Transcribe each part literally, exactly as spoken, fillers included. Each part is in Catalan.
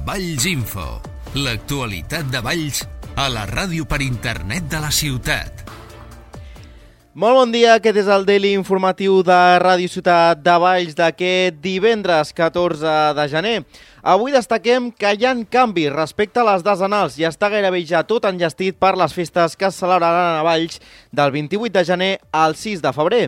Valls Info, l'actualitat de Valls a la ràdio per internet de la ciutat. Molt bon dia, aquest és el Daily informatiu de Ràdio Ciutat de Valls d'aquest divendres catorze de gener. Avui destaquem que hi ha canvis respecte a les decenals i està gairebé ja tot enllestit per les festes que es celebraran a Valls del vint-i-vuit de gener al sis de febrer.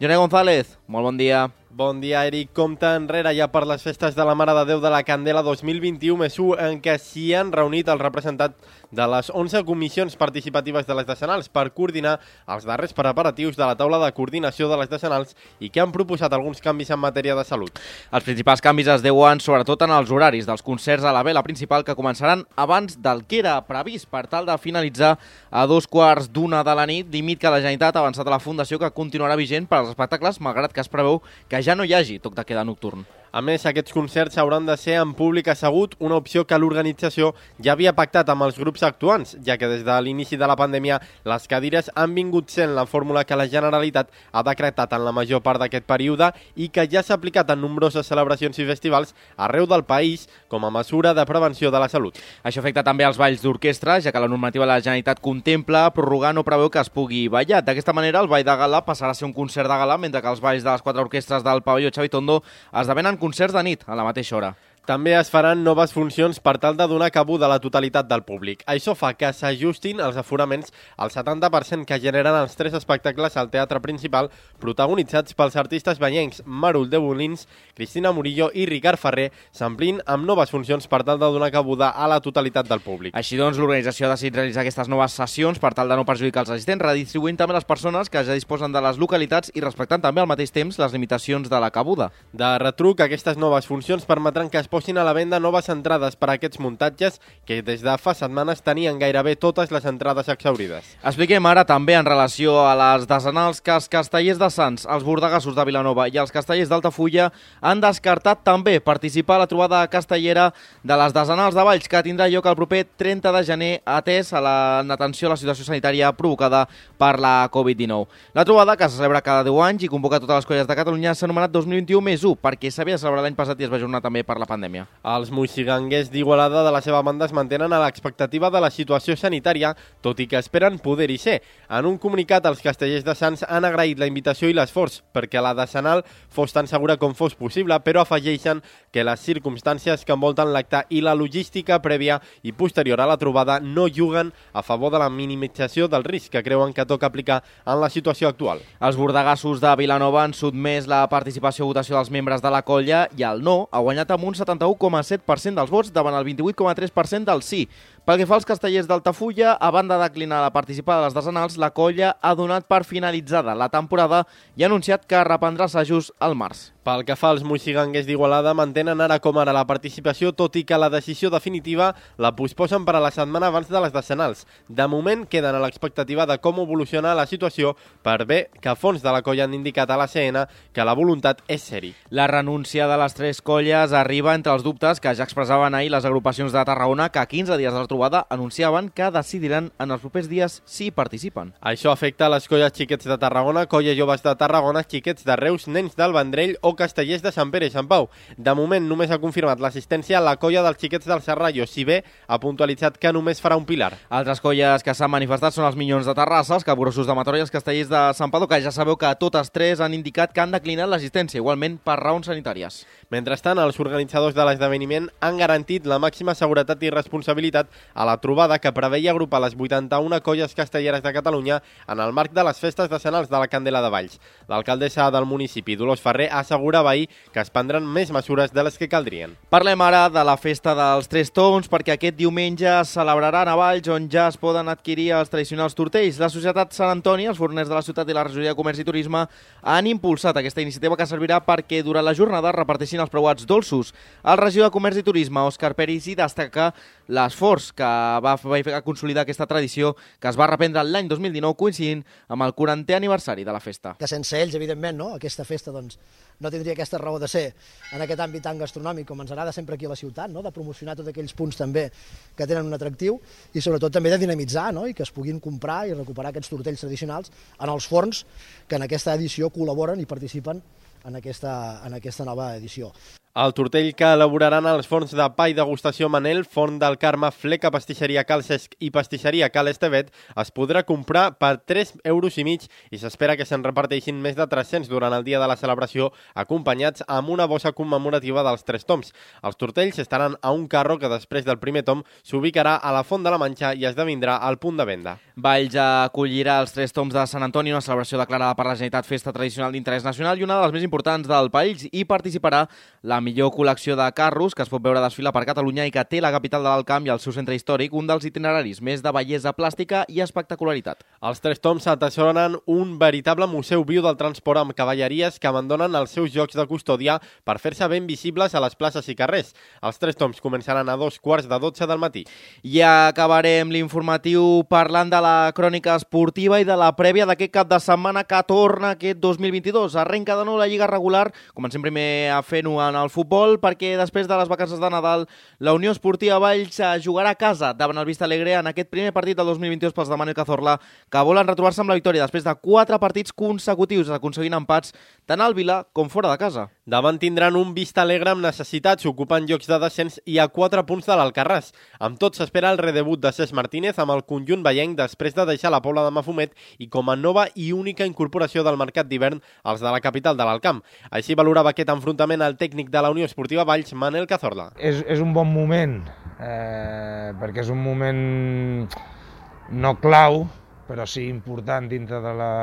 Joné González, molt bon dia. Bon dia, Eric. Compte enrere ja per les festes de la Mare de Déu de la Candela dos mil vint-i-u més u, en què s'hi han reunit els representants de les onze comissions participatives de les decenals per coordinar els darrers preparatius de la taula de coordinació de les decenals i que han proposat alguns canvis en matèria de salut. Els principals canvis es deuen sobretot en els horaris dels concerts a la vela principal, que començaran abans del que era previst per tal de finalitzar a dos quarts d'una de la nit, límit que la Generalitat ha avançat a la Fundació, que continuarà vigent per als espectacles, malgrat que es preveu que ja no hi hagi toc de queda nocturn. A més, aquests concerts hauran de ser en públic assegut, una opció que l'organització ja havia pactat amb els grups actuants, ja que des de l'inici de la pandèmia les cadires han vingut sent la fórmula que la Generalitat ha decretat en la major part d'aquest període i que ja s'ha aplicat en nombroses celebracions i festivals arreu del país com a mesura de prevenció de la salut. Això afecta també els balls d'orquestra, ja que la normativa de la Generalitat contempla prorrogar no preveu que es pugui ballar. D'aquesta manera, el ball de gala passarà a ser un concert de gala, mentre que els balls de les quatre orquestres del pavelló Xavi Tondo esdevenen concerts de nit a la mateixa hora. També es faran noves funcions per tal de donar cabuda a la totalitat del públic. Això fa que s'ajustin els aforaments al setanta per cent que generen els tres espectacles al teatre principal, protagonitzats pels artistes banyencs Marul de Bolins, Cristina Murillo i Ricard Ferrer, s'amplint amb noves funcions per tal de donar cabuda a la totalitat del públic. Així doncs, l'organització ha decidit realitzar aquestes noves sessions per tal de no perjudicar els assistents, redistribuint també les persones que ja disposen de les localitats i respectant també al mateix temps les limitacions de la cabuda. De retruc, aquestes noves funcions permetran que es posin a la venda noves entrades per a aquests muntatges que des de fa setmanes tenien gairebé totes les entrades exhaurides. Expliquem ara també en relació a les decenals que els castellers de Sants, els bordegassos de Vilanova i els castellers d'Altafulla han descartat també participar a la trobada castellera de les decenals de Valls, que tindrà lloc el proper trenta de gener, atès a l'atenció a la situació sanitària provocada per la covid dinou. La trobada, que se celebra cada deu anys i convoca totes les colles de Catalunya, s'ha anomenat dos mil vint-i-u més u, perquè s'havia de celebrar l'any passat i es va ajornar també per la pandèmia. Els moixiganguers d'Igualada de la seva banda es mantenen a l'expectativa de la situació sanitària, tot i que esperen poder-hi ser. En un comunicat, els castellers de Sants han agraït la invitació i l'esforç perquè la decenal fos tan segura com fos possible, però afegeixen que les circumstàncies que envolten l'acte i la logística prèvia i posterior a la trobada no juguen a favor de la minimització del risc que creuen que toca aplicar en la situació actual. Els bordegassos de Vilanova han sotmès la participació a votació dels membres de la colla i el no ha guanyat amb un setanta-u coma set per cent dels vots davant el vint-i-vuit coma tres per cent del sí. Pel que fa als castellers d'Altafulla, a banda de declinar la participada a les decenals, la colla ha donat per finalitzada la temporada i ha anunciat que reprendrà assajos al març. Pel que fa als moixiganguers d'Igualada, mantenen ara com ara la participació, tot i que la decisió definitiva la posposen per a la setmana abans de les decenals. De moment, queden a l'expectativa de com evoluciona la situació, per bé que fons de la colla han indicat a la C N que la voluntat és seri. La renúncia de les tres colles arriba entre els dubtes que ja expressaven ahir les agrupacions de Tarragona, que a quinze dies de la trobada anunciaven que decidiran en els propers dies si participen. Això afecta les colles xiquets de Tarragona, colla joves de Tarragona, xiquets de Reus, nens del Vendrell o castellers de Sant Pere i Sant Pau. De moment només ha confirmat l'assistència a la colla dels xiquets del Serrallo, si bé ha puntualitzat que només farà un pilar. Altres colles que s'han manifestat són els Minyons de Terrassa, els Capgrossos de Mataró i els castellers de Sant Padó, que ja sabeu que totes tres han indicat que han declinat l'assistència, igualment per raons sanitàries. Mentrestant, els organitzadors de l'esdeveniment han garantit la màxima seguretat i responsabilitat a la trobada, que preveia agrupar les vuitanta-una colles castelleres de Catalunya en el marc de les festes decenals de la Candela de Valls. L'alcaldessa del municipi, Dolors Ferrer, assegurava ahir que es prendran més mesures de les que caldrien. Parlem ara de la festa dels Tres Tons, perquè aquest diumenge es celebraran a Valls, on ja es poden adquirir els tradicionals tortells. La Societat Sant Antoni, els forners de la ciutat i la Regidoria de Comerç i Turisme han impulsat aquesta iniciativa, que servirà perquè durant la jornada reparteixin els preuats dolços. El regidor de Comerç i Turisme, Òscar Peris, hi destaca l'esforç que va fer consolidar aquesta tradició, que es va reprendre l'any dos mil dinou, coincidint amb el quarantè aniversari de la festa. Que sense ells, evidentment, no? Aquesta festa doncs, no tindria aquesta raó de ser en aquest àmbit tan gastronòmic com ens agrada sempre aquí a la ciutat, no? De promocionar tots aquells punts també que tenen un atractiu i sobretot també de dinamitzar, no? I que es puguin comprar i recuperar aquests tortells tradicionals en els forns que en aquesta edició col·laboren i participen en aquesta, en aquesta nova edició. El tortell que elaboraran els forns de pa i degustació Manel, Forn del Carme, Fleca, Pastisseria Cal Cesc i Pastisseria Cal Estevet es podrà comprar per tres euros i mig i s'espera que se'n reparteixin més de tres-cents durant el dia de la celebració, acompanyats amb una bossa commemorativa dels Tres Toms. Els tortells estaran a un carro que després del primer tom s'ubicarà a la Font de la Manxa i esdevindrà el punt de venda. Valls acollirà els Tres Toms de Sant Antoni, una celebració declarada per la Generalitat festa tradicional d'interès nacional i una de les més importants del país, i participarà la millor col·lecció de carros que es pot veure desfilar per Catalunya i que té la capital de l'Alt Camp i el seu centre històric, un dels itineraris més de bellesa plàstica i espectacularitat. Els Tres Toms atessoren un veritable museu viu del transport amb cavalleries que abandonen els seus jocs de custòdia per fer-se ben visibles a les places i carrers. Els Tres Toms començaran a dos quarts de dotze del matí. I acabarem l'informatiu parlant de la crònica esportiva i de la prèvia d'aquest cap de setmana que torna aquest dos mil vint-i-dos. Arrenca de nou la Lliga regular, comencem primer a fer-ho en el futbol, perquè després de les vacances de Nadal la Unió Esportiva Valls jugarà a casa davant el Vista Alegre en aquest primer partit del dos mil vint-i-dos pels de Manuel Cazorla, que volen retrobar-se amb la victòria després de quatre partits consecutius, aconseguint empats tant al Vila com fora de casa. Davant tindran un Vista Alegre amb necessitats, ocupant llocs de descens i a quatre punts de l'Alcarràs. Amb tot s'espera el redebut de Cesc Martínez amb el conjunt vallenc després de deixar la Pobla de Mafumet i com a nova i única incorporació del mercat d'hivern als de la capital de l'Alt Camp. Així valorava aquest enfrontament el tècnic de la Unió Esportiva Valls, Manel Cazorla. És, és un bon moment, eh, perquè és un moment no clau, però sí important dintre de la,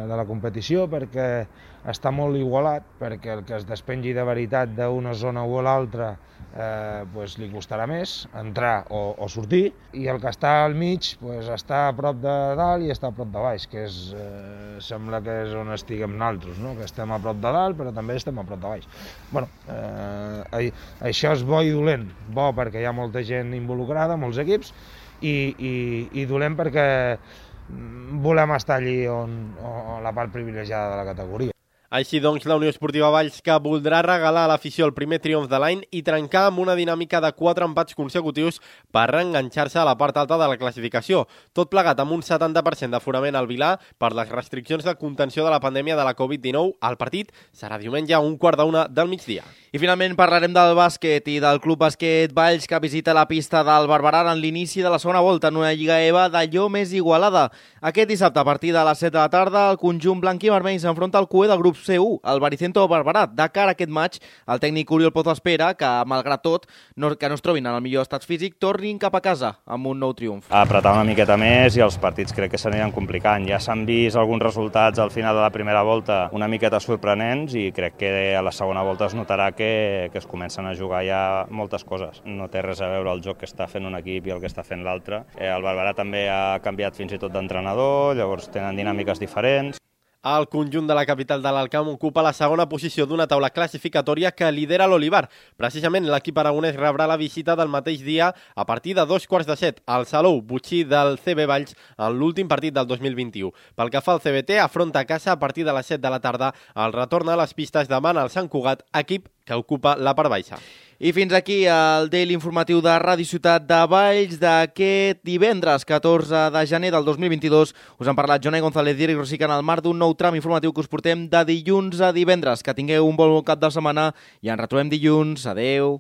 de la competició, perquè està molt igualat, perquè el que es despengi de veritat d'una zona o l'altra eh, pues li costarà més entrar o, o sortir, i el que està al mig pues, està a prop de dalt i està a prop de baix, que és, eh, sembla que és on estiguem nosaltres, no? Que estem a prop de dalt però també estem a prop de baix. Bueno, eh, això és bo i dolent, bo perquè hi ha molta gent involucrada, molts equips, i, i, i dolent perquè volem estar allí on, on la part privilegiada de la categoria. Així doncs, la Unió Esportiva Valls, que voldrà regalar a l'afició el primer triomf de l'any i trencar amb una dinàmica de quatre empats consecutius per reenganxar-se a la part alta de la classificació. Tot plegat amb un setanta per cent d'aforament al Vilà per les restriccions de contenció de la pandèmia de la covid dinou. El partit serà diumenge a un quart d'una del migdia. I finalment parlarem del bàsquet i del Club Bàsquet Valls, que visita la pista del Barberà en l'inici de la segona volta en una Lliga E V A d'allò més igualada. Aquest dissabte, a partir de les set de la tarda, el conjunt blanc i vermell s'enfronta al cué del grup C u, el Baricentro Barberà. De cara a aquest maig, el tècnic Oriol Pozo espera que, malgrat tot, no, que no es trobin en el millor estat físic, tornin cap a casa amb un nou triomf. Apretar una miqueta més i els partits crec que s'aniran complicant. Ja s'han vist alguns resultats al final de la primera volta una miqueta sorprenents i crec que a la segona volta es notarà que, que es comencen a jugar ja moltes coses. No té res a veure el joc que està fent un equip i el que està fent l'altre. Eh, el Barberà també ha canviat fins i tot d'entrenador, llavors tenen dinàmiques diferents. El conjunt de la capital de l'Alt Camp ocupa la segona posició d'una taula classificatòria que lidera l'Olivar. Precisament l'equip aragonès rebrà la visita del mateix dia a partir de dos quarts de set al Salou Butxí del C B Valls en l'últim partit del dos mil vint-i-u. Pel que fa al C B T, afronta a casa a partir de les set de la tarda el retorn a les pistes davant el Sant Cugat, equip que ocupa la part baixa. I fins aquí el Daily informatiu de Ràdio Ciutat de Valls d'aquest divendres catorze de gener del dos mil vint-i-dos. Us han parlat Jonai González i Eric Rosica en el marc d'un nou tram informatiu que us portem de dilluns a divendres. Que tingueu un bon cap de setmana i ens retrobem dilluns. Adeu.